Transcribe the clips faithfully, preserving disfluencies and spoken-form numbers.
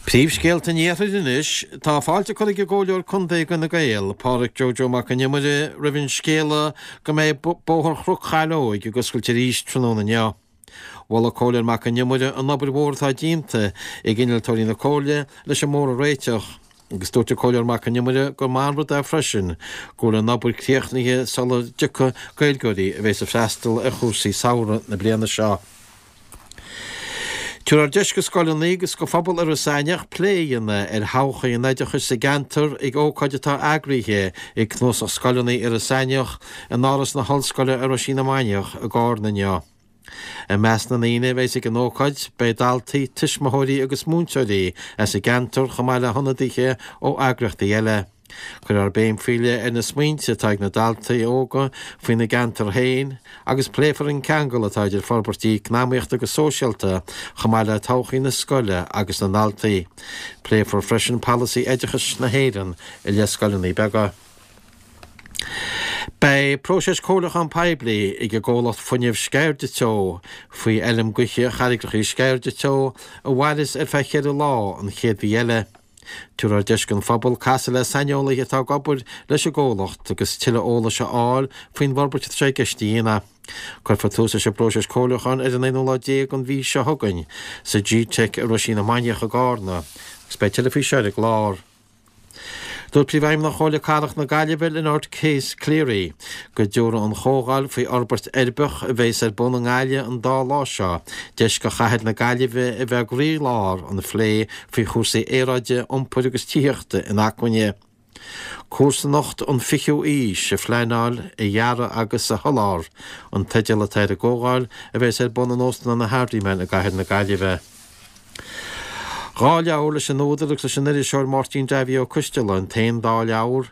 Príomhscéalta an Iarthair anois, tá fáilte curtha ag an gComhairleoir Contae d'Fhine Gael, Pádraig Joe Joe Mac an Iomaire, roimh an scéala go mbeidh Bóthar Chnoc Chaileoig ag oscailt arís tráthnóna inniu. Mhol an Comhairleoir Mac an Iomaire an obair mhór atá déanta ag innealtóirí na Comhairle leis an mbóthar a réiteach, agus dúirt an Comhairleoir Mac an Iomaire gur maith an rud é freisin go bhfuil an obair críochnaithe sula dtiocfaidh Gaeilgeoirí a bheas ag freastal ar chúrsaí samhraidh na bliana seo. Tabharfar deis do scoileanna agus do phobal Iorras Aithneach plé a dhéanamh ar thodhchaí an oideachais sa gceantar ag ócáid atá eagraithe ag Cnuasach Scoileanna Iorras Aithneach in Áras na hOllscoile i Roisín na Mainiach i gCarna inniu. I measc na ndaoine a bheas ag an ócáid beidh daltaí, tuismitheoirí agus múinteoirí as an gceantar chomh maith le hionadaithe ó eagraíochtaí eile. Cuirfear béim faoi leith ar na smaointe atá ag na daltaí óga faoina gceantar féin agus pléifear an ceangal atá idir forbairtí eacnamaíochta agus sóisialta chomh maith le todhchaí na scoile agus na ndaltaí. Pléifear freisin polasaí oideachais na hÉireann i leith scoileanna beaga. Beidh próiseas comhairliúchán poiblí ag an gcomhlacht fuinnimh Sceirde Teo faoi fheilm gaoithe Charraigreacha Sceirde Teo a mhairfeas ar feadh cheithre lá an chéad mhí eile. Tabharfar deis don phobal casadh le saineolaithe atá ag obair leis an gcomhlacht agus tuilleadh eolais a fháil faoin bhforbairt atá sé i gceist a dhéanamh. Cuirfear tús leis an bpróiseas comhairliúcháin ar an aonú lá déag den mhí seo chugainn sa G-Tech i Roisín na Mainiach i gCarna agus beidh tuilleadh faoi seo ar an gclár. Dúirt Príomhfheidhmeannach Chomhairle Cathrach na Gaillimhe, Lynette Case Cleary, go dtabharfaidh an chomhdháil faoi fhorbairt uirbeach a bheas ar bun i nGaillimh an dá lá seo deis do chathair na Gaillimhe a bheith i gcroílár an phlé faoi chúrsaí aeráide, iompair agus tithíochta inacmhainne. Comharsanacht an fichiú aois a phleanáil, a dhearadh agus a sholáthar an teideal atá ar an gcomhdháil a bheas ar bun in Óstlann na Hardiman i gcathair na Gaillimhe. Dhá leabhar leis an údar agus leis an iriseoir Máirtín Davy Ó Coisteala an t-aon dá leabhar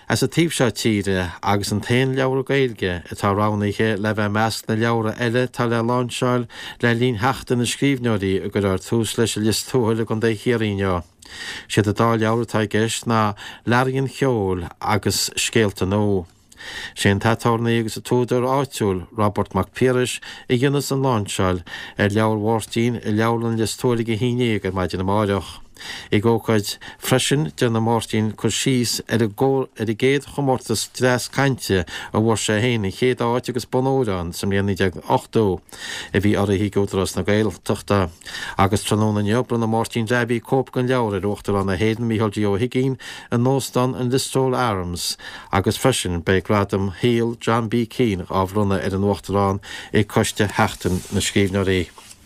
as an taobh seo tíre agus an t-aon leabhar Gaeilge atá roghnaithe le bheith i measc na leabhra eile atá le lainseáil le linn Sheachtain na Scríbhneoirí a gcuirfear tús leis i Lios Tuathail i gContae Chiarraí inniu. Siad an dá leabhar atá i gceist ná Learaí an Cheoil agus Scéalta Nua. Sé an t-aturnae agus an t-údar áitiúil Robert Mac Piarais a dhéanfas an lainseáil ar leabhar Mháirtín i Leabharlann Lios Tuathail ag a haon déag ar maidin amáireach. Ag ócáid freisin déanfaidh Máirtín cur síos ar an ar an gcéad chomórtas dreas cainte a bhfuair sé féin an chéad áit agus bonn óir ann sa mbliain naoi déag ochtó a bhí urraithe ag Údarás na Gaeltachta. Agus tráthnóna inniu bronnfaidh Máirtín Davy cóip den leabhar ar Uachtarán na hÉireann Micheál D. Ó hUigínn in Óstán an Listowel Arms agus freisin beidh gradam shaoil John B. Keane á bhronnadh ar an Uachtarán ag Coiste Sheachtain na Scríbhneoirí.